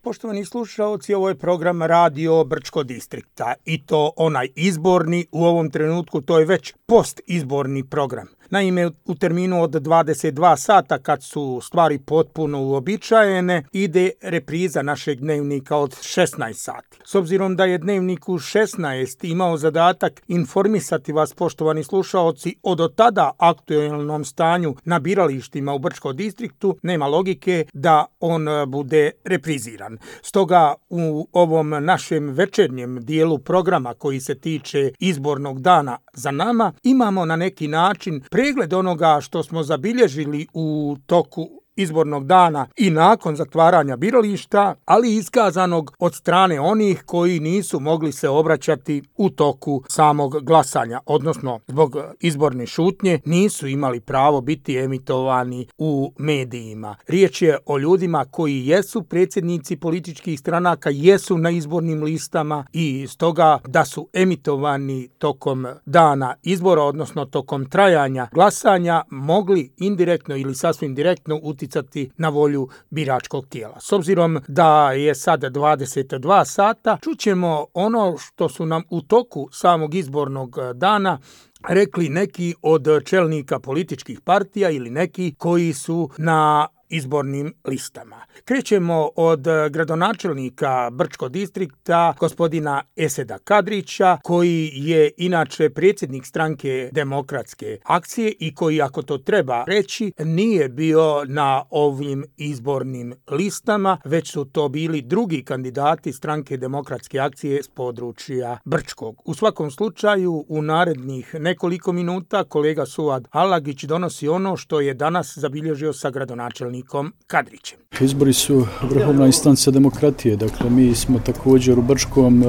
Poštovani slušaoci, ovo je program Radio Brčko distrikta i to onaj izborni, u ovom trenutku to je već postizborni program. Naime, u terminu od 22 sata, kad su stvari potpuno uobičajene, ide repriza našeg dnevnika od 16 sati. S obzirom da je dnevnik u 16 imao zadatak informisati vas, poštovani slušaoci, o do tada aktualnom stanju na biralištima u Brčko distriktu, nema logike da on bude repriziran. Stoga u ovom našem večernjem dijelu programa koji se tiče izbornog dana za nama, imamo na neki način pregled onoga što smo zabilježili u toku izbornog dana i nakon zatvaranja birališta, ali iskazanog od strane onih koji nisu mogli se obraćati u toku samog glasanja, odnosno zbog izborne šutnje nisu imali pravo biti emitovani u medijima. Riječ je o ljudima koji jesu predsjednici političkih stranaka, jesu na izbornim listama i stoga da su emitovani tokom dana izbora, odnosno tokom trajanja glasanja, mogli indirektno ili sasvim direktno uticati na volju biračkog tijela. S obzirom da je sad 22 sata, čućemo ono što su nam u toku samog izbornog dana rekli neki od čelnika političkih partija ili neki koji su na izbornim listama. Krećemo od gradonačelnika Brčko distrikta, gospodina Eseda Kadrića, koji je inače predsjednik stranke Demokratske akcije i koji, ako to treba reći, nije bio na ovim izbornim listama, već su to bili drugi kandidati stranke Demokratske akcije s područja Brčkog. U svakom slučaju, u narednih nekoliko minuta kolega Suad Alagić donosi ono što je danas zabilježio sa gradonačelnikom Kadrićem. Izbori su vrhovna instanca demokratije, dakle mi smo također u Brčkom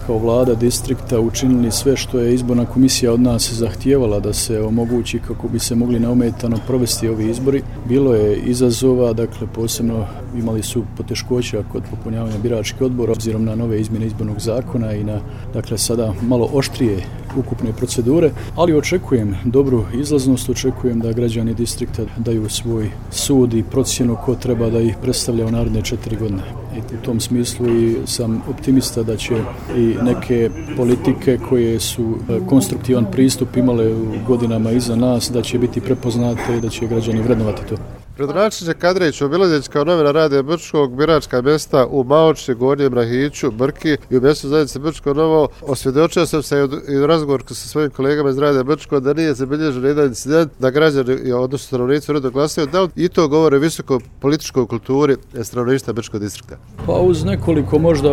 kao vlada distrikta učinili sve što je izborna komisija od nas zahtijevala da se omogući kako bi se mogli neometano provesti ovi izbori. Bilo je izazova, dakle posebno imali su poteškoća kod popunjavanja biračkih odbora obzirom na nove izmjene izbornog zakona i na dakle sada malo oštrije ukupne procedure, ali očekujem dobru izlaznost, očekujem da građani distrikta daju svoj sud i procjenu ko treba da ih predstavlja u naredne 4 godine. I u tom smislu i sam optimista da će i neke politike koje su konstruktivan pristup imale u godinama iza nas, da će biti prepoznate i da će građani vrednovati to. Gradonačelnik Kadrić, obilazeći kao novinar Radio Brčkog biračka mjesta u Maoči, Gornjem Rahiću, Brki i u mjestu zajednice Brčko Novo, osvjedočio sam se i u razgovoru sa svojim kolegama iz Radio Brčko da nije zabilježen jedan incident da građani, odnosno stanovnici uredno glasaju, da i to govore o visokoj političkoj kulturi stanovništva Brčkog distrikta. Pa uz nekoliko možda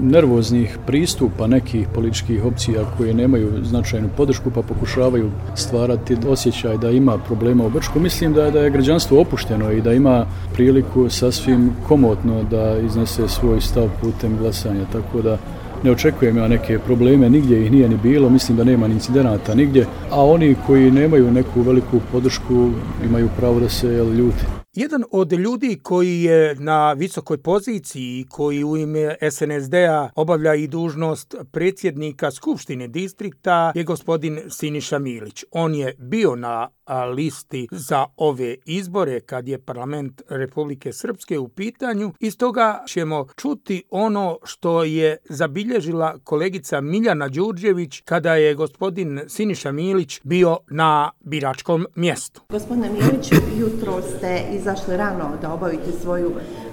nervoznih pristupa nekih političkih opcija koje nemaju značajnu podršku pa pokušavaju stvarati osjećaj da ima problema u Brčku, mislim da je građanstvo opušteno i da ima priliku sasvim komotno da iznese svoj stav putem glasanja, tako da ne očekujem ja neke probleme, nigdje ih nije ni bilo, mislim da nema ni incidenata nigdje, a oni koji nemaju neku veliku podršku imaju pravo da se ljuti. Jedan od ljudi koji je na visokoj poziciji, koji u ime SNSD-a obavlja i dužnost predsjednika Skupštine distrikta, je gospodin Siniša Milić. On je bio na listi za ove izbore kad je parlament Republike Srpske u pitanju i stoga ćemo čuti ono što je zabilježila kolegica Miljana Đurđević kada je gospodin Siniša Milić bio na biračkom mjestu. Gospodine Milić, jutro ste izašli rano da obavite svoju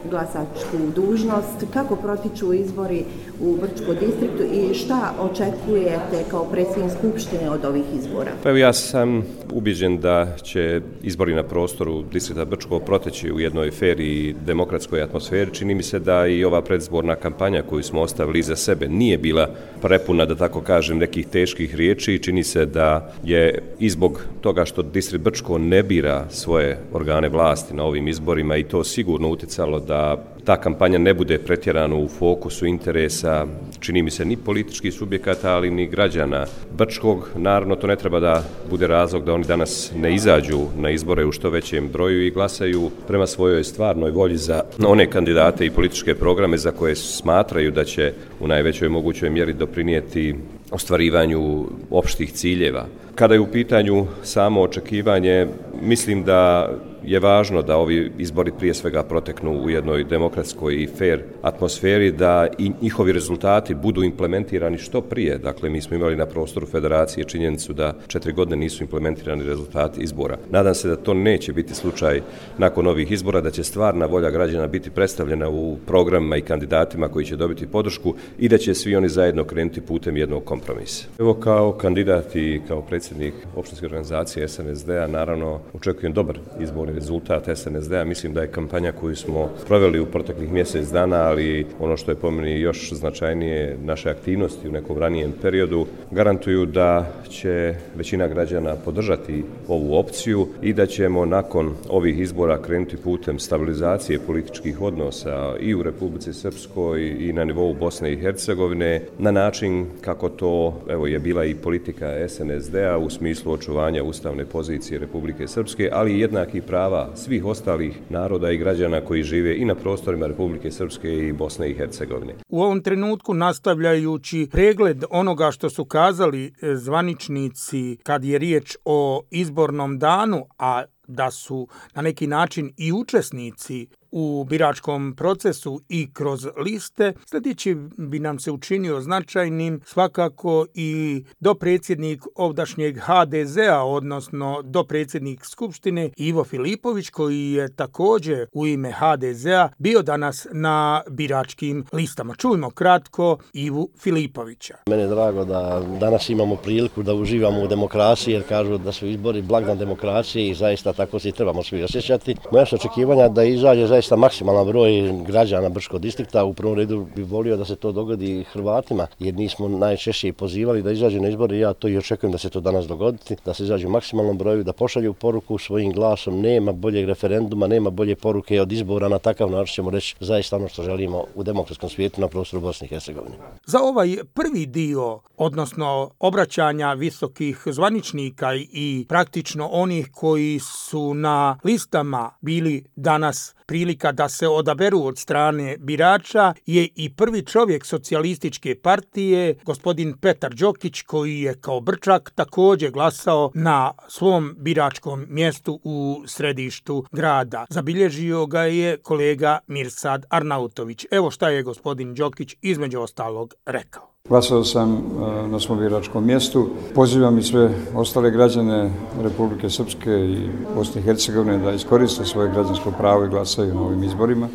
glasačku dužnost. Kako protiču izbori u Brčko distriktu i šta očekujete kao predsjednik Skupštine od ovih izbora? Pa evo, ja sam ubijeđen da će izbori na prostoru distrikta Brčko proteći u jednoj fer i demokratskoj atmosferi. Čini mi se da i ova predizborna kampanja koju smo ostavili iza sebe nije bila prepuna, da tako kažem, nekih teških riječi. Čini se da je i zbog toga što distrikt Brčko ne bira svoje organe vlasti na ovim izborima i to sigurno utjecalo da ta kampanja ne bude pretjerano u fokusu interesa, čini mi se, ni političkih subjekata, ali ni građana Brčkog. Naravno, to ne treba da bude razlog da oni danas ne izađu na izbore u što većem broju i glasaju prema svojoj stvarnoj volji za one kandidate i političke programe za koje smatraju da će u najvećoj mogućoj mjeri doprinijeti ostvarivanju opštih ciljeva. Kada je u pitanju samo očekivanje, mislim da je važno da ovi izbori prije svega proteknu u jednoj demokratskoj i fair atmosferi, da i njihovi rezultati budu implementirani što prije. Dakle, mi smo imali na prostoru federacije činjenicu da 4 godine nisu implementirani rezultati izbora. Nadam se da to neće biti slučaj nakon ovih izbora, da će stvarna volja građana biti predstavljena u programima i kandidatima koji će dobiti podršku i da će svi oni zajedno krenuti putem jednog kompromisa. Evo, kao kandidat i kao predsjednik opštinske organizacije SNSD-a naravno očekujem dobar izborni rezultat SNSD-a. Mislim da je kampanja koju smo proveli u proteklih mjesec dana, ali ono što je po meni još značajnije, naše aktivnosti u nekom ranijem periodu garantuju da će većina građana podržati ovu opciju i da ćemo nakon ovih izbora krenuti putem stabilizacije političkih odnosa i u Republici Srpskoj i na nivou Bosne i Hercegovine na način kako to je bila i politika SNSD-a u smislu očuvanja ustavne pozicije Republike Srpske, ali i jednakih prava svih ostalih naroda i građana koji žive i na prostorima Republike Srpske i Bosne i Hercegovine. U ovom trenutku, nastavljajući pregled onoga što su kazali zvaničnici kad je riječ o izbornom danu, a da su na neki način i učesnici u biračkom procesu i kroz liste, sljedeći bi nam se učinio značajnim svakako i dopredsjednik ovdašnjeg HDZ-a, odnosno dopredsjednik Skupštine Ivo Filipović, koji je također u ime HDZ-a bio danas na biračkim listama. Čujmo kratko Ivu Filipovića. Mene je drago da danas imamo priliku da uživamo u demokraciji, jer kažu da su izbori blagdan demokracije i zaista tako se trebamo svi osjećati. Moja su očekivanja da izađe zaista maksimalan broj građana Brčkog distrikta. U prvom redu bih volio da se to dogodi Hrvatima, jer nismo najčešće pozivali da izađu na izbore. Ja to i očekujem da se to danas dogoditi, da se izađu u maksimalnom broju, da pošalju poruku svojim glasom. Nema boljeg referenduma, nema bolje poruke od izbora. Na takav način ćemo reći zaista ono što želimo u demokratskom svijetu na prostoru Bosne i Hercegovine. Za ovaj prvi dio, odnosno obraćanja visokih zvaničnika i praktično onih koji su na listama bili danas prilika da se odaberu od strane birača, je i prvi čovjek socijalističke partije, gospodin Petar Đokić, koji je kao Brčak također glasao na svom biračkom mjestu u središtu grada. Zabilježio ga je kolega Mirsad Arnautović. Evo šta je gospodin Đokić između ostalog rekao. Glasao sam na svom biračkom mjestu. Pozivam i sve ostale građane Republike Srpske i Bosne i Hercegovine da iskoriste svoje građansko pravo i glasaju na ovim izborima.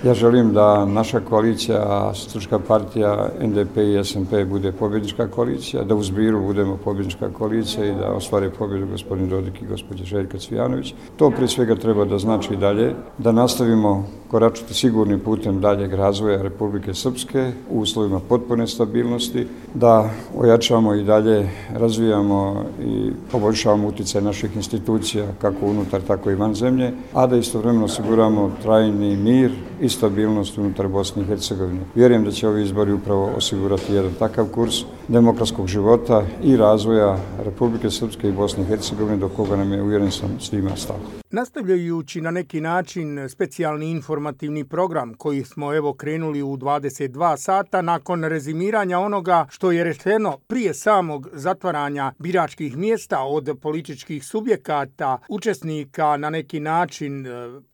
Ja želim da naša koalicija, Srpska partija, NDP i SMP bude pobjednička koalicija, da u Zbiru budemo pobjednička koalicija i da ostvare pobjedu gospodin Dodik i gospođa Željka Cvijanović. To prije svega treba da znači dalje, da nastavimo koračati sigurnim putem daljeg razvoja Republike Srpske u uslovima potpune stabilnosti, da ojačamo i dalje razvijamo i poboljšavamo utjecaj naših institucija kako unutar, tako i van zemlje, a da istovremeno osiguramo trajni mir i stabilnost unutar Bosne i Hercegovine. Vjerujem da će ovi izbori upravo osigurati jedan takav kurs demokratskog života i razvoja Republike Srpske i Bosne i Hercegovine, do koga nam je, uvjeren sam, svima stalo. Nastavljajući na neki način specijalni informativni program koji smo evo krenuli u 22 sata nakon rezimiranja onoga što je rečeno prije samog zatvaranja biračkih mjesta od političkih subjekata, učesnika na neki način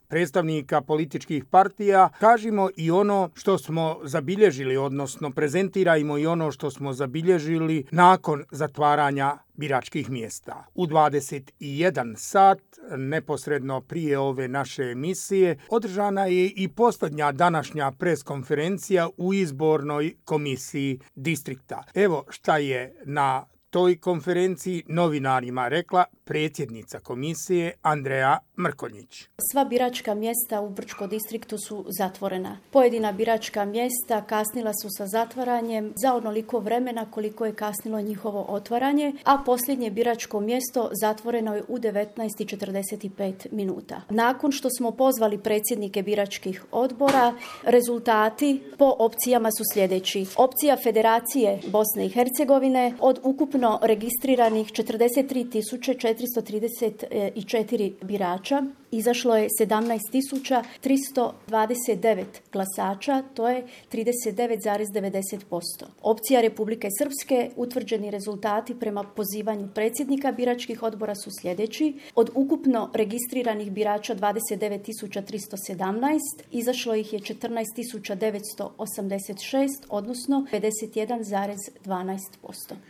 predstavnika političkih partija, kažimo i ono što smo zabilježili, odnosno prezentirajmo i ono što smo zabilježili nakon zatvaranja biračkih mjesta. U 21 sat, neposredno prije ove naše emisije, održana je i posljednja današnja preskonferencija u izbornoj komisiji distrikta. Evo šta je na toj konferenciji novinarima rekla predsjednica komisije Andreja Mrkonjić. Sva biračka mjesta u Brčkom distriktu su zatvorena. Pojedina biračka mjesta kasnila su sa zatvaranjem za onoliko vremena koliko je kasnilo njihovo otvaranje, a posljednje biračko mjesto zatvoreno je u 19:45 minuta. Nakon što smo pozvali predsjednike biračkih odbora, rezultati po opcijama su sljedeći. Opcija Federacije Bosne i Hercegovine od ukupno registriranih 43.434 birača izašlo je 17.329 glasača, to je 39,90%. Opcija Republike Srpske, utvrđeni rezultati prema pozivanju predsjednika biračkih odbora su sljedeći. Od ukupno registriranih birača 29.317, izašlo ih je 14.986, odnosno 51,12%.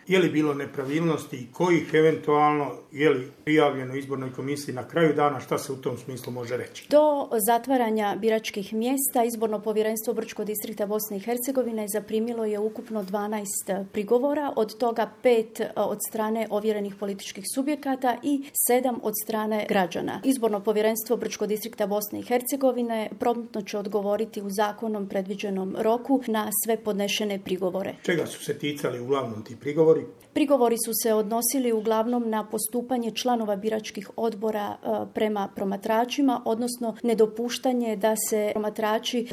Je li bilo nepravilnosti i kojih eventualno je li prijavljeno izbornoj komisiji na kraju dana, šta se u tom smislu može reći? Do zatvaranja biračkih mjesta Izborno povjerenstvo Brčkog distrikta Bosne i Hercegovine zaprimilo je ukupno 12 prigovora, od toga 5 od strane ovjerenih političkih subjekata i 7 od strane građana. Izborno povjerenstvo Brčkog distrikta Bosne i Hercegovine promptno će odgovoriti u zakonom predviđenom roku na sve podnešene prigovore. Čega su se ticali uglavnom ti prigovori? Prigovori su se odnosili uglavnom na postupanje članova biračkih odbora prema promatračima, odnosno nedopuštanje da se promatrači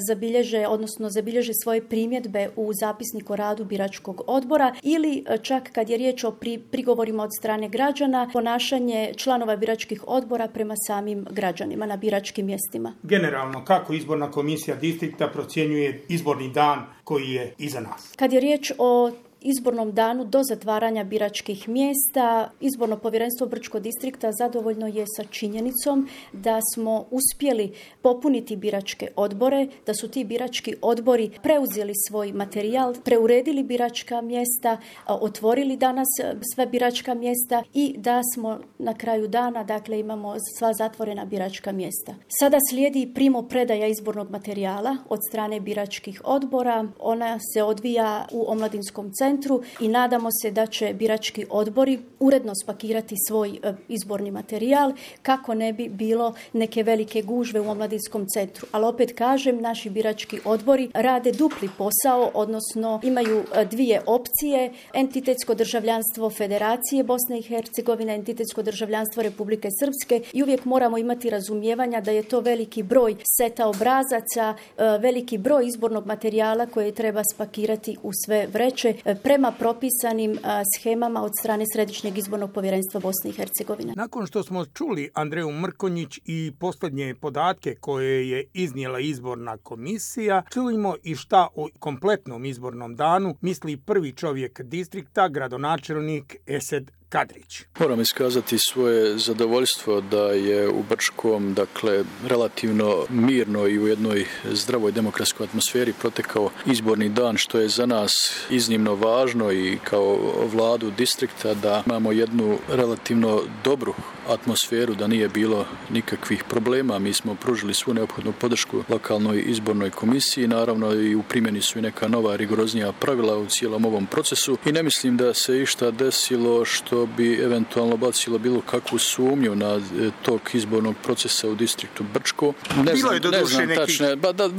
zabilježe svoje primjedbe u zapisnik o radu biračkog odbora ili čak kad je riječ o prigovorima od strane građana, ponašanje članova biračkih odbora prema samim građanima na biračkim mjestima. Generalno, kako izborna komisija distrikta procjenjuje izborni dan koji je iza nas? Kad je riječ o izbornom danu do zatvaranja biračkih mjesta, Izborno povjerenstvo Brčkog distrikta zadovoljno je sa činjenicom da smo uspjeli popuniti biračke odbore, da su ti birački odbori preuzeli svoj materijal, preuredili biračka mjesta, otvorili danas sve biračka mjesta i da smo na kraju dana, dakle, imamo sva zatvorena biračka mjesta. Sada slijedi primopredaja izbornog materijala od strane biračkih odbora. Ona se odvija u Omladinskom centru i nadamo se da će birački odbori uredno spakirati svoj izborni materijal kako ne bi bilo neke velike gužve u Omladinskom centru. Ali opet kažem, naši birački odbori rade dupli posao, odnosno imaju dvije opcije: entitetsko državljanstvo Federacije Bosne i Hercegovine, entitetsko državljanstvo Republike Srpske, i uvijek moramo imati razumijevanja da je to veliki broj seta obrazaca, veliki broj izbornog materijala koje treba spakirati u sve vreće prema propisanim shemama od strane Središnjeg izbornog povjerenstva Bosne i Hercegovine. Nakon što smo čuli Andreju Mrkonjić i posljednje podatke koje je iznijela izborna komisija, čujemo i šta o kompletnom izbornom danu misli prvi čovjek distrikta, gradonačelnik Esed Kadrić. Moram iskazati svoje zadovoljstvo da je u Brčkom, dakle, relativno mirno i u jednoj zdravoj demokratskoj atmosferi protekao izborni dan, što je za nas iznimno važno i kao vladu distrikta da imamo jednu relativno dobru atmosferu, da nije bilo nikakvih problema. Mi smo pružili svu neophodnu podršku lokalnoj izbornoj komisiji, naravno i u primjeni su i neka nova rigoroznija pravila u cijelom ovom procesu i ne mislim da se išta desilo što bi eventualno bacilo bilo kakvu sumnju na tog izbornog procesa u distriktu Brčko. Bilo je doduše nekih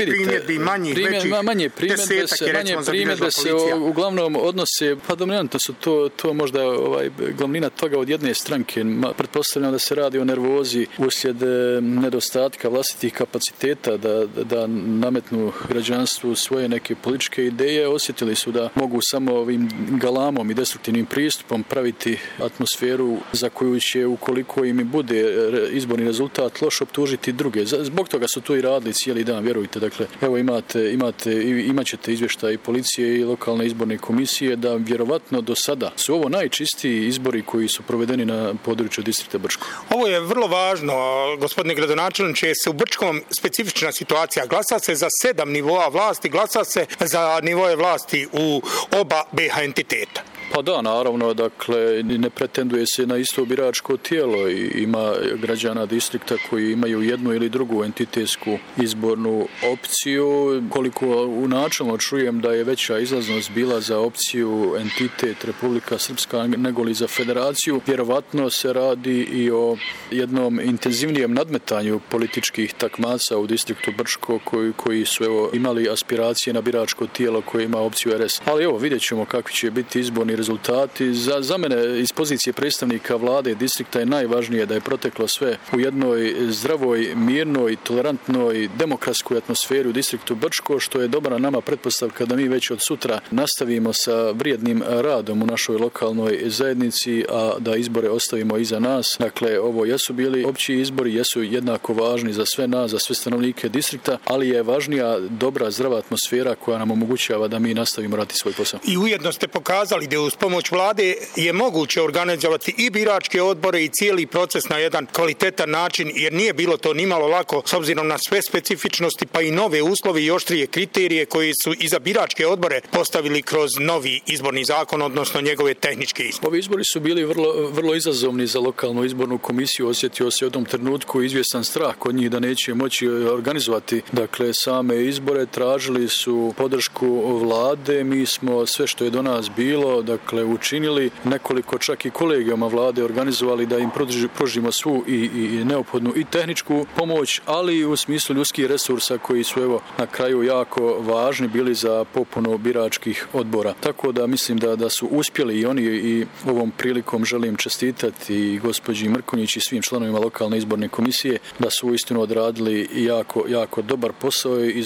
primjedbi, manje primjedbe se uglavnom odnose, pa dominantno su to možda glavnina toga od jedne stranke. Pretpostavljam da se radi o nervozi uslijed nedostatka vlastitih kapaciteta da nametnu građanstvu svoje neke političke ideje. Osjetili su da mogu samo ovim galamom i destruktivnim pristupom praviti atmosferu za koju će, ukoliko im bude izborni rezultat, loš optužiti druge. Zbog toga su to i radili cijeli dan, vjerujte. Dakle, evo imat ćete izvještaj i policije i lokalne izborne komisije da vjerovatno do sada su ovo najčistiji izbori koji su provedeni na području distrikta Brčko. Ovo je vrlo važno, gospodine gradonačelniče, se u Brčkom specifična situacija. Glasa se za 7 nivoa vlasti, glasa se za nivoje vlasti u oba BiH entiteta. Pa da, naravno, dakle, ne pretenduje se na isto biračko tijelo i ima građana distrikta koji imaju jednu ili drugu entitetsku izbornu opciju. Koliko u načelno čujem da je veća izlaznost bila za opciju entitet Republika Srpska nego li za federaciju, vjerovatno se radi i o jednom intenzivnijem nadmetanju političkih takmaca u distriktu Brčko koji su imali aspiracije na biračko tijelo koje ima opciju RS. Ali evo, vidjet ćemo kakvi će biti izborni rezultati rezultati. Za mene iz pozicije predstavnika vlade distrikta je najvažnije da je proteklo sve u jednoj zdravoj, mirnoj, tolerantnoj, demokratskoj atmosferi u distriktu Brčko, što je dobra nama pretpostavka da mi već od sutra nastavimo sa vrijednim radom u našoj lokalnoj zajednici, a da izbore ostavimo iza nas. Dakle, ovo jesu bili opći izbori, jesu jednako važni za sve nas, za sve stanovnike distrikta, ali je važnija dobra, zdrava atmosfera koja nam omogućava da mi nastavimo raditi svoj posao. I ujedno ste pokazali da uz pomoć vlade je moguće organizovati i biračke odbore i cijeli proces na jedan kvalitetan način, jer nije bilo to nimalo lako s obzirom na sve specifičnosti, pa i nove uslove i oštrije kriterije koji su i za biračke odbore postavili kroz novi izborni zakon, odnosno njegove tehničke izbore. Ovi izbori su bili vrlo izazovni za lokalnu izbornu komisiju. Osjetio se u tom trenutku izvjestan strah kod njih da neće moći organizovati same izbore. Tražili su podršku vlade. Mi smo sve što je do nas bilo učinili. Nekoliko čak i kolegijama vlade organizovali da im pružimo svu i neophodnu i tehničku pomoć, ali i u smislu ljudskih resursa koji su na kraju jako važni bili za popunu biračkih odbora. Tako da mislim da su uspjeli i oni, i ovom prilikom želim čestitati i gospođi Mrkonjić i svim članovima lokalne izborne komisije da su uistinu odradili jako dobar posao i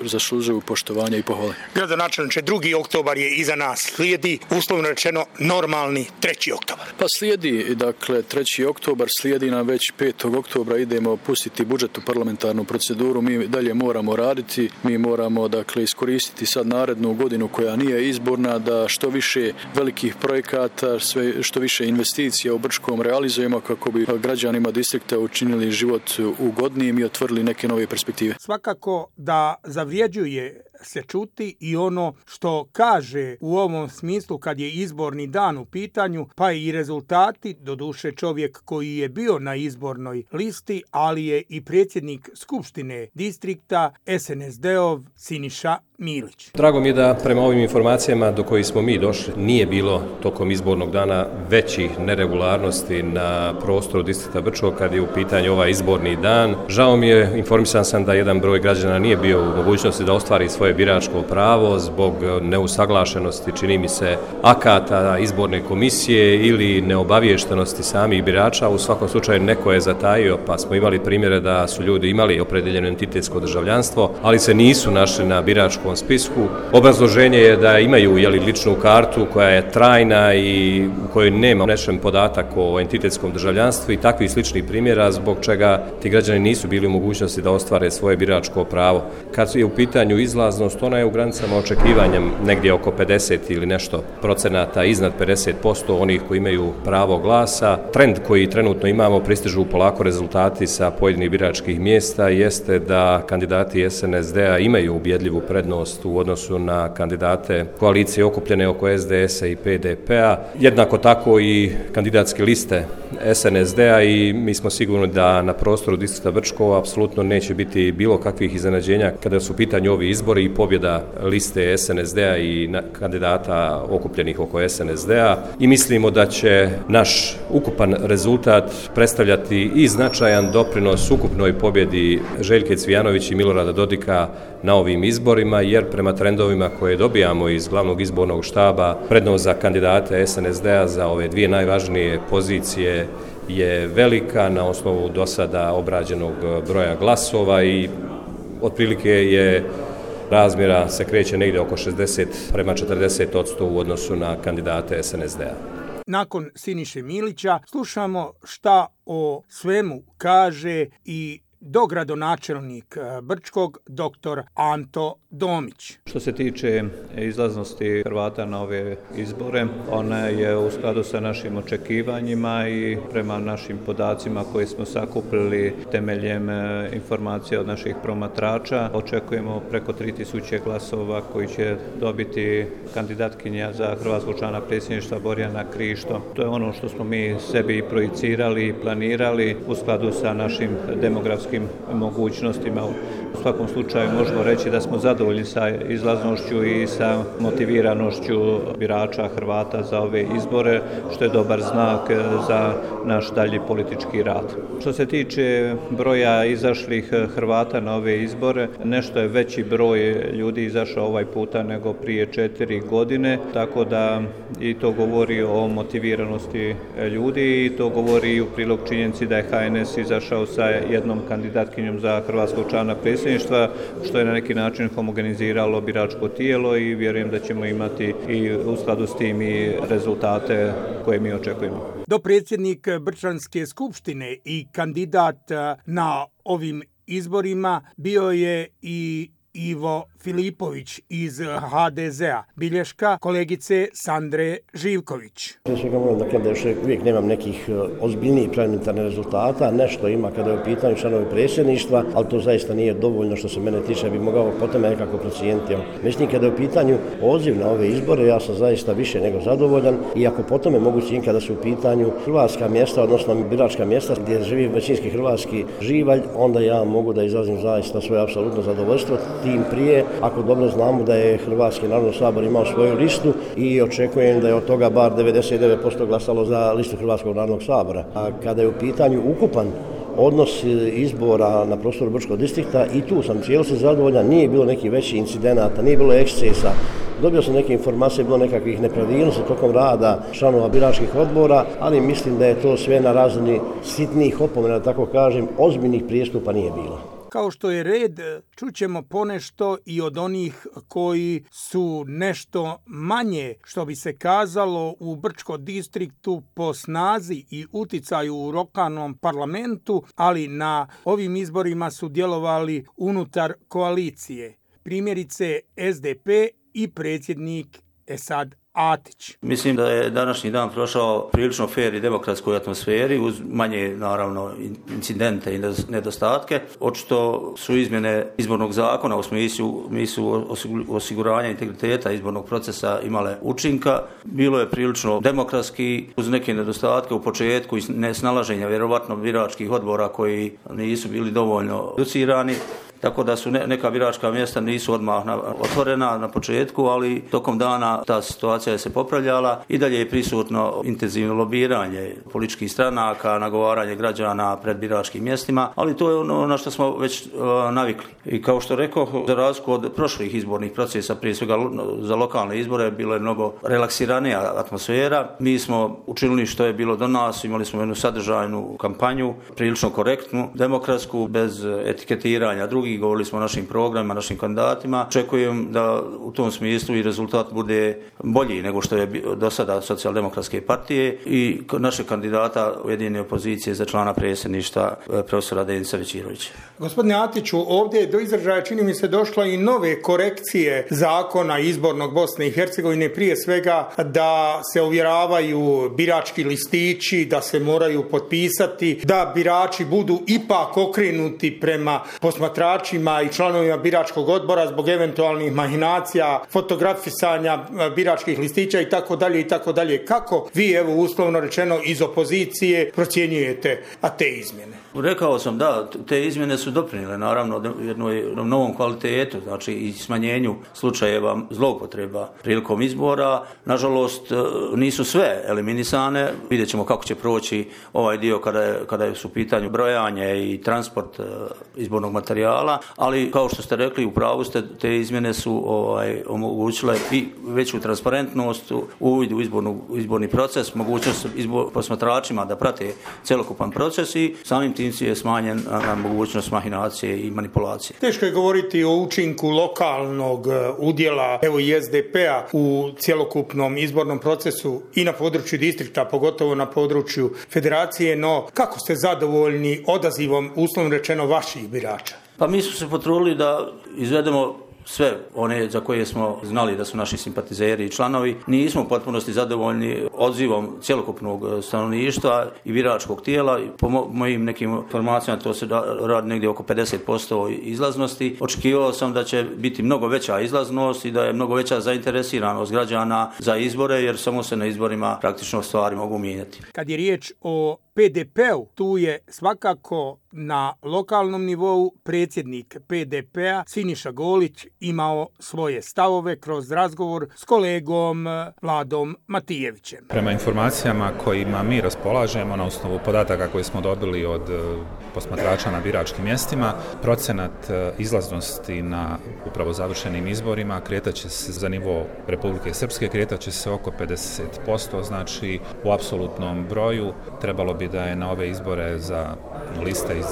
zaslužuju poštovanje i pohvale. Gradonačelniče, 2. oktobar je iza nas. Slijedi, uslovno rečeno, normalni 3. oktobar. Pa slijedi, 3. oktobar, slijedi nam već 5. oktobra idemo pustiti budžet u parlamentarnu proceduru. Mi dalje moramo raditi, mi moramo iskoristiti sad narednu godinu koja nije izborna, da što više velikih projekata, što više investicija u Brčkom realizujemo kako bi građanima distrikta učinili život ugodnijim i otvorili neke nove perspektive. Svakako da zavrijeđuje se čuti i ono što kaže u ovom smislu kad je izborni dan u pitanju, pa i rezultati, doduše čovjek koji je bio na izbornoj listi, ali je i predsjednik Skupštine distrikta SNSD-ov Siniša Milić. Drago mi je da prema ovim informacijama do kojih smo mi došli nije bilo tokom izbornog dana većih neregularnosti na prostoru distrikta Brčko kad je u pitanju ovaj izborni dan. Žao mi je, informisan sam da jedan broj građana nije bio u mogućnosti da ostvari svoje biračko pravo zbog neusaglašenosti, čini mi se, akata izborne komisije ili neobaviještenosti samih birača. U svakom slučaju neko je zatajio, pa smo imali primjere da su ljudi imali opredeljeno entitetsko državljanstvo, ali se nisu našli na biračkom spisku. Obrazloženje je da imaju ličnu kartu koja je trajna i u kojoj nema unešen podatak o entitetskom državljanstvu i takvih sličnih primjera zbog čega ti građani nisu bili u mogućnosti da ostvare svoje biračko pravo. Kad je u pitanju izlaznost, ona je u granicama očekivanjem negdje oko 50 ili nešto procenata, iznad 50% onih koji imaju pravo glasa. Trend koji trenutno imamo, pristižu polako rezultati sa pojedinih biračkih mjesta, jeste da kandidati SNSD-a imaju ubjedljivu prednost u odnosu na kandidate koalicije okupljene oko SDS-a i PDP-a. Jednako tako i kandidatske liste SNSD-a i mi smo sigurni da na prostoru distrikta Brčko apsolutno neće biti bilo kakvih iznenađenja kada su u pitanju ovi izbori i pobjeda liste SNSD-a i kandidata okupljenih oko SNSD-a i mislimo da će naš ukupan rezultat predstavljati i značajan doprinos ukupnoj pobjedi Željke Cvijanović i Milorada Dodika na ovim izborima, jer prema trendovima koje dobijamo iz glavnog izbornog štaba, prednost za kandidate SNSD-a za ove dvije najvažnije pozicije je velika na osnovu do sada obrađenog broja glasova i otprilike je razmjera se kreće negdje oko 60 prema 40% u odnosu na kandidate SNSD-a. Nakon Siniše Milića slušamo šta o svemu kaže i dogradonačelnik Brčkog, dr. Anto Domić. Što se tiče izlaznosti Hrvata na ove izbore, ona je u skladu sa našim očekivanjima i prema našim podacima koje smo sakupili temeljem informacija od naših promatrača. Očekujemo preko 3000 glasova koji će dobiti kandidatkinja za hrvatskog člana predsjedništva Borjana Krišto. To je ono što smo mi sebi projicirali i planirali u skladu sa našim demografskim mogućnostima. U svakom slučaju možemo reći da smo zadovoljni sa izlaznošću i sa motiviranošću birača Hrvata za ove izbore, što je dobar znak za naš dalji politički rad. Što se tiče broja izašlih Hrvata na ove izbore, nešto je veći broj ljudi izašao ovaj puta nego prije 4 godine, tako da i to govori o motiviranosti ljudi i to govori i u prilog činjenici da je HNS izašao sa jednom kandidatkinjom za hrvatskog člana predsjedništva, što je na neki način homogeniziralo biračko tijelo i vjerujem da ćemo imati i u skladu s tim i rezultate koje mi očekujemo. Dopredsjednik Brčanske skupštine i kandidat na ovim izborima bio je i Ivo Filipović iz HDZ-a, bilješka kolegice Sandre Živković. Prije svega moram da kažem da još uvijek nemam nekih ozbiljnijih parlamentarnih rezultata, nešto ima kada je u pitanju članovi predsjedništva, ali to zaista nije dovoljno što se mene tiče, bi mogao po tome nekako procijeniti. Mislim, kada je u pitanju odziv na ove izbore, ja sam zaista više nego zadovoljan i ako po tome mogu cijeniti kada su u pitanju hrvatska mjesta, odnosno biračka mjesta gdje živi većinski hrvatski živalj, onda ja mogu da izrazim zaista svoje apsolutno zadovoljstvo, tim prije ako dobro znamo da je Hrvatski narodni sabor imao svoju listu i očekujem da je od toga bar 99% glasalo za listu Hrvatskog narodnog sabora. A kada je u pitanju ukupan odnos izbora na prostoru Brčkog distrikta i tu sam cijelosti zadovoljan, nije bilo nekih većih incidenata, nije bilo ekscesa. Dobio sam neke informacije, bilo nekakvih nepravilnosti tokom rada članova biračkih odbora, ali mislim da je to sve na razini sitnih opomena, da tako kažem, ozbiljnih prijestupa nije bilo. Kao što je red, čućemo ponešto i od onih koji su nešto manje, što bi se kazalo, u Brčkom distriktu po snazi i uticaju u lokalnom parlamentu, ali na ovim izborima su djelovali unutar koalicije. Primjerice SDP i predsjednik Esad Atić. Mislim da je današnji dan prošao prilično fer i demokratskoj atmosferi uz manje naravno incidente i nedostatke. Očito su izmjene izbornog zakona u smislu osiguranja integriteta izbornog procesa imale učinka. Bilo je prilično demokratski uz neke nedostatke u početku i nesnalaženja vjerovatno biračkih odbora koji nisu bili dovoljno educirani. Tako da su neka biračka mjesta nisu odmah otvorena na početku, ali tokom dana ta situacija je se popravljala i dalje je prisutno intenzivno lobiranje političkih stranaka, nagovaranje građana pred biračkim mjestima, ali to je ono na što smo već navikli. I kao što rekao, za razliku od prošlih izbornih procesa, prije svega za lokalne izbore, bilo je mnogo relaksiranija atmosfera. Mi smo učinili što je bilo do nas, imali smo jednu sadržajnu kampanju, prilično korektnu, demokratsku, bez etiketiranja drugih. Govorili smo o našim programima, našim kandidatima. Očekujem da u tom smislu i rezultat bude bolji nego što je do sada Socijaldemokratske partije i našeg kandidata Ujedinjene opozicije za člana predsjedništva profesora Denisa Većirovića. Gospodine Atiću, ovdje je do izražaja čini mi se došla i nove korekcije zakona izbornog Bosne i Hercegovine, prije svega da se ovjeravaju birački listići, da se moraju potpisati, da birači budu ipak okrenuti prema posmatračima i članovima biračkog odbora zbog eventualnih mahinacija, fotografisanja biračkih listića i tako dalje. Kako vi, evo uslovno rečeno iz opozicije, procjenjujete te izmjene? Rekao sam da, te izmjene su doprinijele naravno jednom novom kvalitetu, znači i smanjenju slučajeva zloupotreba prilikom izbora. Nažalost, nisu sve eliminisane. Vidjet ćemo kako će proći ovaj dio kada su u pitanju brojanje i transport izbornog materijala, ali kao što ste rekli, u pravu ste, te izmjene su omogućile i veću transparentnost, uvid u izborni proces, mogućnost posmatračima da prate cjelokupan proces i samim tim je smanjen na mogućnost mahinacije i manipulacije. Teško je govoriti o učinku lokalnog udjela evo i SDP-a u cjelokupnom izbornom procesu i na području distrikta, pogotovo na području federacije, no kako ste zadovoljni odazivom, uslovno rečeno, vaših birača? Pa mi smo se potrudili da izvedemo sve one za koje smo znali da su naši simpatizeri i članovi. Nismo u potpunosti zadovoljni odzivom cjelokupnog stanovništva i biračkog tijela. Po mojim nekim informacijama to se radi negdje oko 50% izlaznosti. Očekivao sam da će biti mnogo veća izlaznost i da je mnogo veća zainteresiranost građana za izbore, jer samo se na izborima praktično stvari mogu mijenjati. Kad je riječ o PDP-u, tu je svakako na lokalnom nivou predsjednik PDP-a Siniša Golić imao svoje stavove kroz razgovor s kolegom Vladom Matijevićem. Prema informacijama kojima mi raspolažemo na osnovu podataka koje smo dobili od posmatrača na biračkim mjestima, procenat izlaznosti na upravo završenim izborima kretaće se za nivo Republike Srpske, kretaće se oko 50%, znači u apsolutnom broju trebalo bi da je na ove izbore za liste iz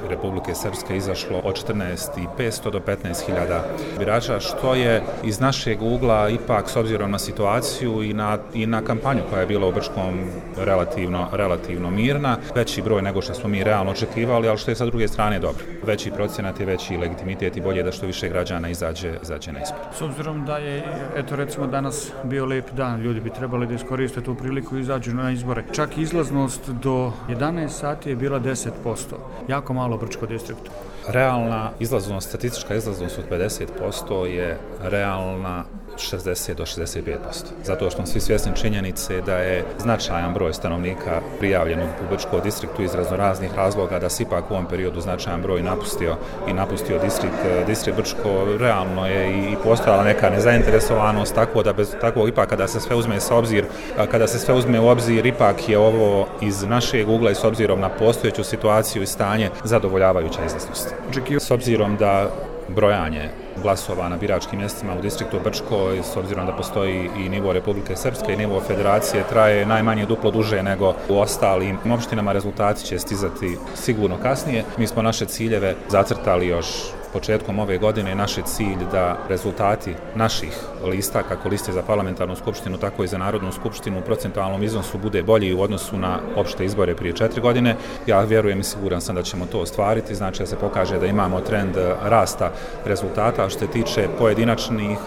Republike Srpske izašlo od 14.500 do 15.000 birača, što je iz našeg ugla ipak s obzirom na situaciju i na kampanju koja je bila u Brčkom relativno mirna, veći broj nego što smo mi realno očekivali, ali što je sa druge strane dobro. Veći procenat je veći legitimitet i bolje da što više građana izađe na izbor. S obzirom da je, eto recimo danas bio lijep dan, ljudi bi trebali da iskoriste tu priliku i izađu na izbore. Čak izlaznost do 11 sati je bila 10%. Jako malo u Brčkom distriktu. Realna izlaznost, statistička izlaznost od 50% je realna 60 do 65%. Zato što smo svi svjesni činjenice da je značajan broj stanovnika prijavljen u Brčkom distriktu iz raznoraznih razloga, da se ipak u ovom periodu značajan broj napustio distrikt Brčko. Realno je i postojala neka nezainteresovanost, tako ipak kada se sve uzme u obzir, ipak je ovo iz našeg ugla i s obzirom na postojeću situaciju i stanje zadovoljavajuća izlaznost. S obzirom da brojanje glasova na biračkim mjestima u distriktu Brčko, s obzirom da postoji i nivo Republike Srpske i nivo Federacije, traje najmanje duplo duže nego u ostalim opštinama. Rezultati će stizati sigurno kasnije. Mi smo naše ciljeve zacrtali još početkom ove godine. Naš je cilj da rezultati naših lista, kako liste za parlamentarnu skupštinu, tako i za Narodnu skupštinu, u procentualnom iznosu bude bolji u odnosu na opšte izbore prije 4 godine. Ja vjerujem i siguran sam da ćemo to ostvariti, znači da se pokaže da imamo trend rasta rezultata. Što se tiče pojedinačnih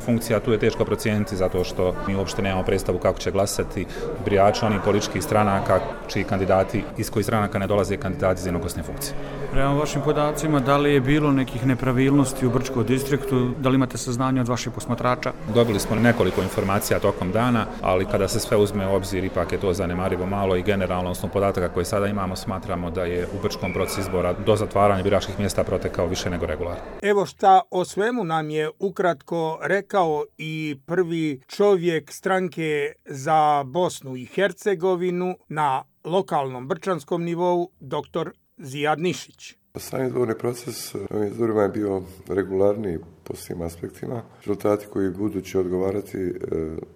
funkcija, tu je teško procijeniti zato što mi uopšte nemamo predstavu kako će glasati birači onih političkih stranaka čiji kandidati, iz kojih stranaka ne dolaze kandidati za jednoglasne funkcije. Prema vašim podacima, da li je bilo nekih nepravilnosti u Brčkom distriktu, da li imate saznanje od vaših posmatrača? Dobili smo nekoliko informacija tokom dana, ali kada se sve uzme u obzir, ipak je to zanemarivo malo i generalno, osnovu podataka koje sada imamo, smatramo da je u Brčkom proces izbora do zatvaranja biračkih mjesta protekao više nego regularno. Evo šta o svemu nam je ukratko rekao i prvi čovjek stranke za Bosnu i Hercegovinu na lokalnom brčanskom nivou, dr. Zijad Nišić. Sam izborni proces ovim izborima je bio regularniji po svim aspektima. Rezultati koji budući odgovarati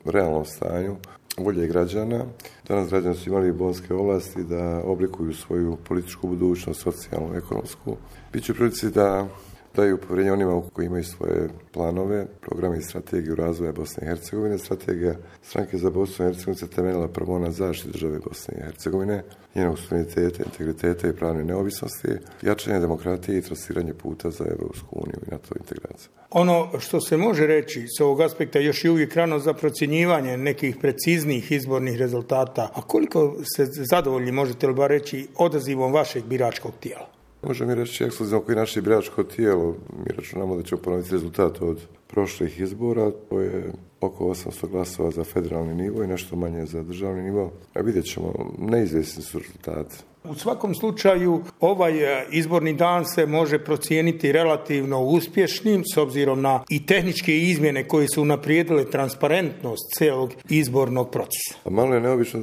realnom stanju volje građana. Danas građani su imali bonske ovlasti da oblikuju svoju političku budućnost, socijalnu, ekonomsku. Biće u prilici da daju povjerenje onima koji imaju svoje planove, programe i strategiju razvoja Bosne i Hercegovine. Strategija stranke za Bosnu i Hercegovinu se temeljila prvo na zaštiti države Bosne i Hercegovine, njenog suvereniteta, integriteta i pravne neovisnosti, jačanje demokratije i trasiranje puta za Evropsku uniju i NATO integraciju. Ono što se može reći s ovog aspekta još je uvijek rano za procjenjivanje nekih preciznijih izbornih rezultata. A koliko se zadovoljni, možete li bar reći, odazivom vašeg biračkog tijela? Možemo mi reći ekskluzivno koji naše biračko tijelo. Mi računamo da ćemo ponoviti rezultat od prošlih izbora. To je oko 800 glasova za federalni nivo i nešto manje za državni nivo. A vidjet ćemo, neizvjesni su rezultati. U svakom slučaju ovaj izborni dan se može procijeniti relativno uspješnim s obzirom na i tehničke izmjene koje su unaprijedile transparentnost cijelog izbornog procesa. Malo je neobično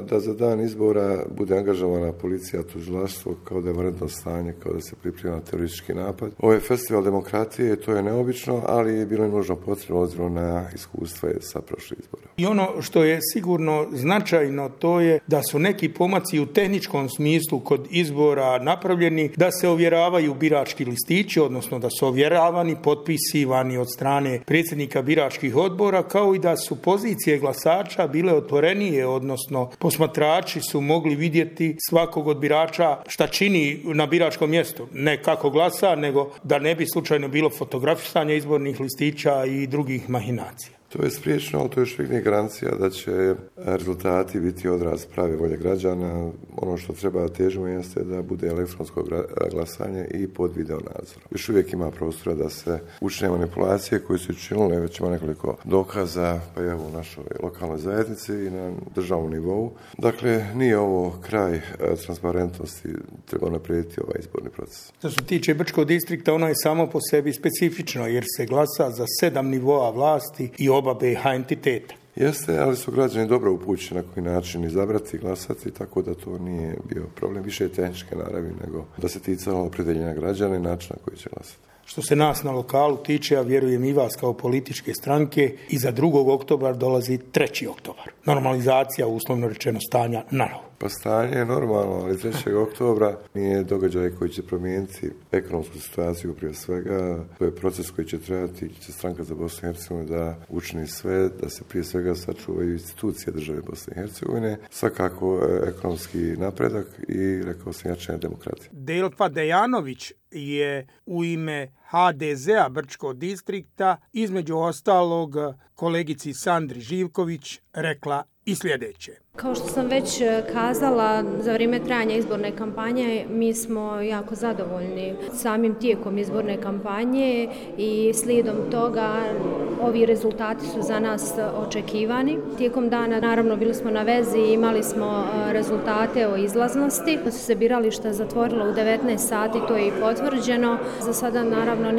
da za dan izbora bude angažovana policija, tužilaštvo, kao da je vanredno stanje, kao da se priprema teroristički napad. Ovo je festival demokratije, to je neobično, ali je bilo nužno potrebno obzirom na iskustva sa prošlih izbora. I ono što je sigurno značajno, to je da su neki pomaci u tehničkom smislu kod izbora napravljeni, da se ovjeravaju birački listići, odnosno da su ovjeravani, potpisivani od strane predsjednika biračkih odbora, kao i da su pozicije glasača bile otvorenije, odnosno posmatrači su mogli vidjeti svakog od birača šta čini na biračkom mjestu. Ne kako glasa, nego da ne bi slučajno bilo fotografisanja izbornih listića i drugih mahinacija. To je spriječeno, ali to još uvijek nije garancija da će rezultati biti odraz prave volje građana. Ono što treba težimo jeste da bude elektronsko glasanje i pod video nadzorom. Još uvijek ima prostora da se učine manipulacije koje su učinile, već ima nekoliko dokaza, pa evo u našoj lokalnoj zajednici i na državnom nivou. Dakle, nije ovo kraj transparentnosti, treba naprijediti ovaj izborni proces. Što se tiče Brčkog distrikta, ono je samo po sebi specifično, jer se glasa za 7 nivoa vlasti i oba BiH entiteta. Jeste, ali su građani dobro upućeni na koji način izabrati i glasati, tako da to nije bio problem. Više je tehničke naravi nego da se ticalo opredeljenja građana i načina koji će glasati. Što se nas na lokalu tiče, a vjerujem i vas kao političke stranke, iza 2. oktobra dolazi 3. oktobar. Normalizacija, uslovno rečeno, stanja na novo. Pa stanje je normalno, ali 3. oktobra nije događaj koji će promijeniti ekonomsku situaciju prije svega. To je proces koji će trebati, će stranka za Bosnu i Hercegovinu da učini sve, da se prije svega sačuvaju institucije države Bosne i Hercegovine, svakako ekonomski napredak i, rekao sam, jačanje demokratije. Delfa Dejanović je u ime HDZ-a Brčkog distrikta, između ostalog kolegici Sandri Živković, rekla i sljedeće. Kao što sam već kazala, za vrijeme trajanja izborne kampanje mi smo jako zadovoljni samim tijekom izborne kampanje i slijedom toga ovi rezultati su za nas očekivani. Tijekom dana naravno bili smo na vezi i imali smo rezultate o izlaznosti. Su se birališta zatvorila u 19 sati, to je i potvrđeno. Za sada naravno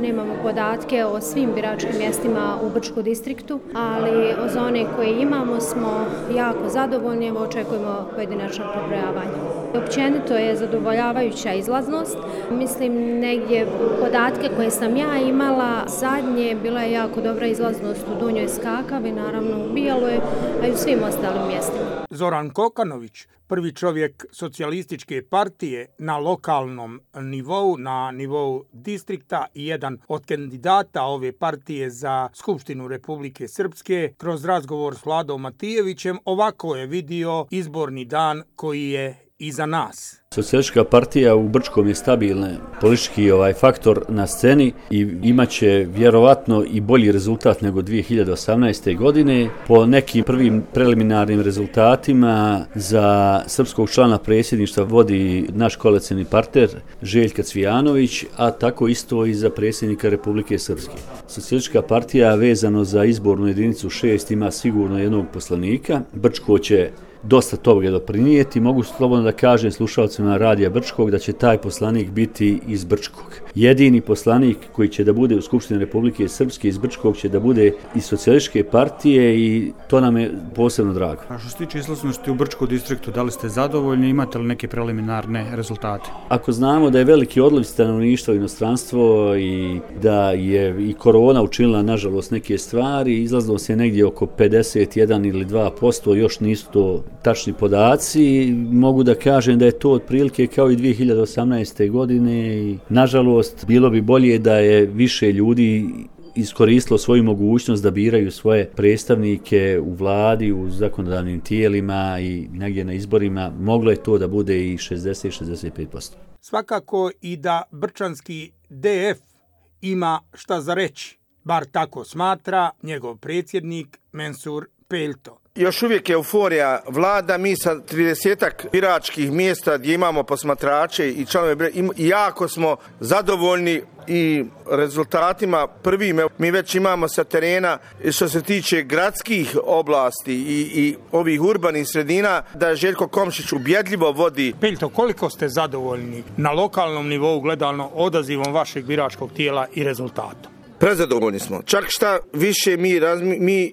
nemamo podatke o svim biračkim mjestima u Brčkom distriktu, ali za one koje imamo smo jako zadovoljni, očekujemo pojedinačno prebrojavanje. Općenito je zadovoljavajuća izlaznost. Mislim, negdje podatke koje sam ja imala, zadnje bila je jako dobra izlaznost u Donjoj Skakavi, naravno u Bijeloj, a i u svim ostalim mjestima. Zoran Kokanović, prvi čovjek socijalističke partije na lokalnom nivou, na nivou distrikta i jedan od kandidata ove partije za Skupštinu Republike Srpske, kroz razgovor s Vladom Matijevićem, ovako je vidio izborni dan koji je iza nas. Socijalistička partija u Brčkom je stabilna politički faktor na sceni i imaće vjerovatno i bolji rezultat nego 2018. godine. Po nekim prvim preliminarnim rezultatima za srpskog člana predsjedništva vodi naš koalicioni partner Željka Cvijanović, a tako isto i za predsjednika Republike Srpske. Socijalistička partija vezano za izbornu jedinicu 6 ima sigurno jednog poslanika. Brčko će dosta toga doprinijeti. Mogu slobodno da kažem slušalcima Radija Brčkog da će taj poslanik biti iz Brčkog. Jedini poslanik koji će da bude u Skupštini Republike Srpske iz Brčkog će da bude iz Socijalističke partije i to nam je posebno drago. A što se tiče izlaznosti u Brčkom distriktu, da li ste zadovoljni, imate li neke preliminarne rezultate? Ako znamo da je veliki odliv stanovništva u inostranstvo i da je i korona učinila nažalost neke stvari, izlaznost je negdje oko 51 ili 2%, još nisu to tačni podaci. Mogu da kažem da je to otprilike kao i 2018. godine i nažalost bilo bi bolje da je više ljudi iskoristilo svoju mogućnost da biraju svoje predstavnike u vladi, u zakonodavnim tijelima i negdje na izborima. Moglo je to da bude i 60-65%. Svakako i da brčanski DF ima šta za reći, bar tako smatra njegov predsjednik Mensur Peljto. Još uvijek euforija vlada, mi sa 30-ak biračkih mjesta gdje imamo posmatrače i članove, jako smo zadovoljni i rezultatima prvim. Mi već imamo sa terena, što se tiče gradskih oblasti i ovih urbanih sredina, da Željko Komšić ubjedljivo vodi. Peljto, koliko ste zadovoljni na lokalnom nivou gledano odazivom vašeg biračkog tijela i rezultatom? Prezadovoljni smo. Čak šta više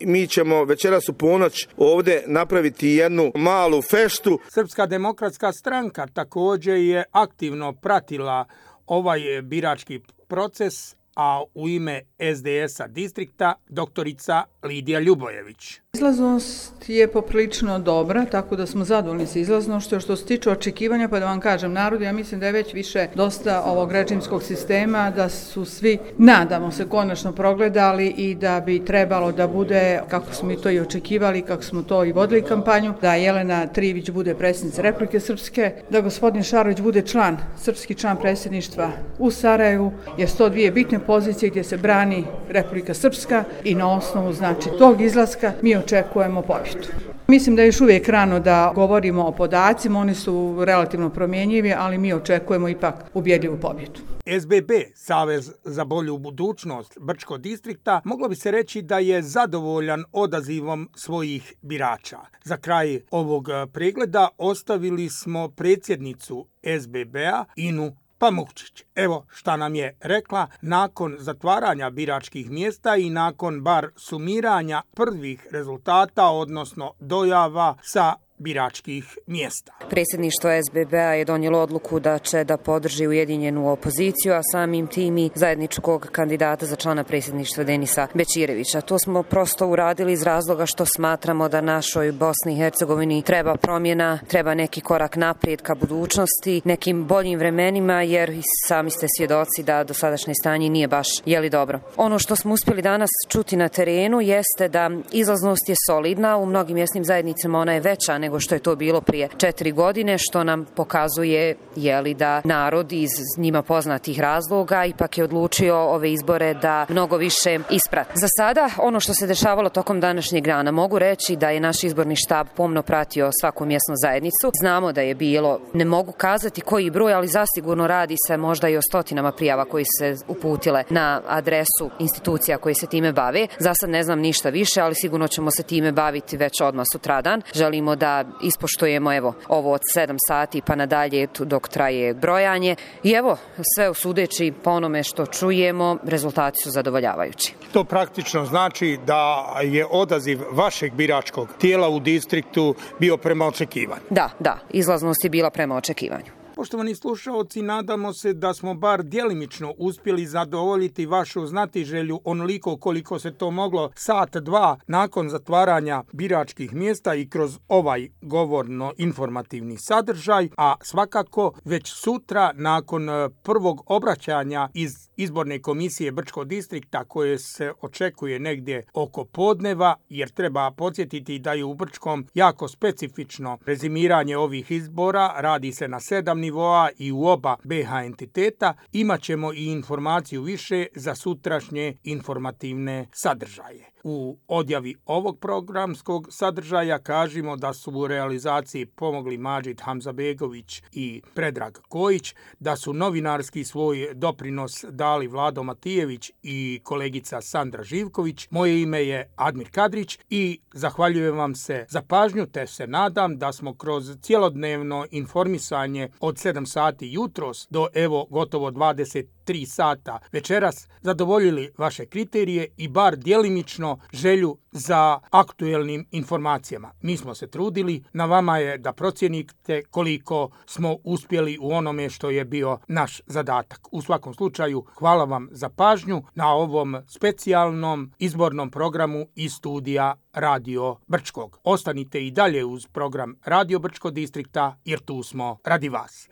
mi ćemo večeras u ponoć ovdje napraviti jednu malu feštu. Srpska demokratska stranka također je aktivno pratila ovaj birački proces, a u ime SDS-a distrikta doktorica Lidija Ljubojević. Izlaznost je poprilično dobra, tako da smo zadovoljni sa izlaznošću. Što se tiče očekivanja, pa da vam kažem, narod, ja mislim da je već više dosta ovog režimskog sistema, da su svi, nadamo se, konačno progledali i da bi trebalo da bude, kako smo i to i očekivali, kako smo to i vodili kampanju, da Jelena Trivić bude predsjednica Republike Srpske, da gospodin Šarović bude srpski član predsjedništva u Sarajevu, jer 102 bitne pozicije gdje se brani Republika Srpska i na osnovu znači tog izlaska mi očekujemo pobjedu. Mislim da je još uvijek rano da govorimo o podacima, oni su relativno promjenjivi, ali mi očekujemo ipak ubjedljivu pobjedu. SBB, Savez za bolju budućnost Brčkog distrikta, moglo bi se reći da je zadovoljan odazivom svojih birača. Za kraj ovog pregleda ostavili smo predsjednicu SBB-a Inu Pamukčić. Evo šta nam je rekla nakon zatvaranja biračkih mjesta i nakon bar sumiranja prvih rezultata, odnosno dojava sa biračkih mjesta. Predsjedništvo SBB-a je donijelo odluku da će da podrži ujedinjenu opoziciju, a samim tim i zajedničkog kandidata za člana predsjedništva Denisa Bećirevića. To smo prosto uradili iz razloga što smatramo da našoj Bosni i Hercegovini treba promjena, treba neki korak naprijed ka budućnosti, nekim boljim vremenima, jer i sami ste svjedoci da dosadašnje stanje nije baš dobro. Ono što smo uspjeli danas čuti na terenu jeste da izlaznost je solidna, u mnogim mjesnim zajednicama ona je veća nego što je to bilo prije 4 godine, što nam pokazuje da narod iz njima poznatih razloga ipak je odlučio ove izbore da mnogo više isprati. Za sada, ono što se dešavalo tokom današnjeg dana, mogu reći da je naš izborni štab pomno pratio svaku mjesnu zajednicu. Znamo da je bilo, ne mogu kazati koji broj, ali zasigurno radi se možda i o stotinama prijava koji se uputile na adresu institucija koji se time bave. Za sad ne znam ništa više, ali sigurno ćemo se time baviti već odmah sutradan. Želimo da ispoštujemo ovo od 7 sati pa nadalje dok traje brojanje. I sve usudeći po onome što čujemo, rezultati su zadovoljavajući. To praktično znači da je odaziv vašeg biračkog tijela u distriktu bio prema očekivanju. Da, izlaznost je bila prema očekivanju. Poštovani slušaoci, nadamo se da smo bar djelimično uspjeli zadovoljiti vašu znatiželju onoliko koliko se to moglo sat, dva nakon zatvaranja biračkih mjesta i kroz ovaj govorno-informativni sadržaj, a svakako već sutra nakon prvog obraćanja iz izborne komisije Brčkog distrikta koje se očekuje negdje oko podneva, jer treba podsjetiti da je u Brčkom jako specifično rezimiranje ovih izbora, radi se na 7 nivoa i u oba BH entiteta, imat ćemo i informaciju više za sutrašnje informativne sadržaje. U odjavi ovog programskog sadržaja kažemo da su u realizaciji pomogli Madžid Hamzabegović i Predrag Kojić, da su novinarski svoj doprinos dali Vlado Matijević i kolegica Sandra Živković. Moje ime je Admir Kadrić i zahvaljujem vam se za pažnju, te se nadam da smo kroz cjelodnevno informisanje od 7 sati jutros do gotovo 23 sata večeras zadovoljili vaše kriterije i bar djelimično želju za aktuelnim informacijama. Mi smo se trudili, na vama je da procijenite koliko smo uspjeli u onome što je bio naš zadatak. U svakom slučaju, hvala vam za pažnju na ovom specijalnom izbornom programu iz studija Radio Brčkog. Ostanite i dalje uz program Radio Brčkog distrikta, jer tu smo radi vas.